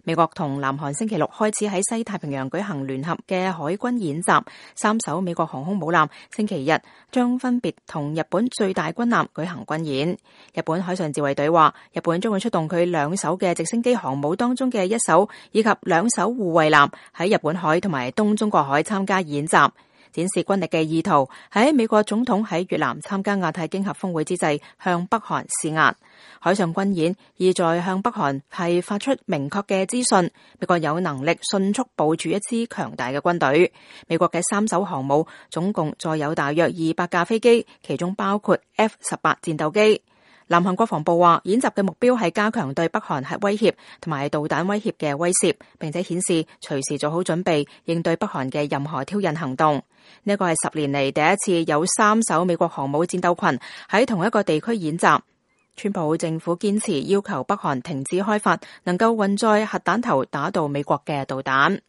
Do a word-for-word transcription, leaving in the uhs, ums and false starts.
美國同南韓星期六開始喺西太平洋舉行聯合嘅海軍演習，三艘美國航空母艦星期日將分別同日本最大軍艦舉行軍演。日本海上自衛隊話，日本將會出動佢兩艘嘅直升機航母當中嘅一艘以及兩艘護衛艦喺日本海同埋東中國海參加演習，展示軍力嘅意圖，喺美國總統喺越南參加亞太經合峰會之際向北韓施壓。海上軍演意在向北韓係發出明確嘅資訊，美國有能力迅速部署一支強大嘅軍隊。美國嘅三艘航母總共載有大約二百架飛機，其中包括 F 十八 戰鬥機。南韓國防部話，演習嘅目標係加強對北韓核威脅同埋導彈威脅嘅威懾，並且顯示隨時做好準備應對北韓嘅任何挑釁行動。呢個係十年嚟第一次有三艘美國航母戰鬥群喺同一個地區演習。川普政府堅持要求北韓停止開發能夠運載核彈頭打到美國嘅導彈。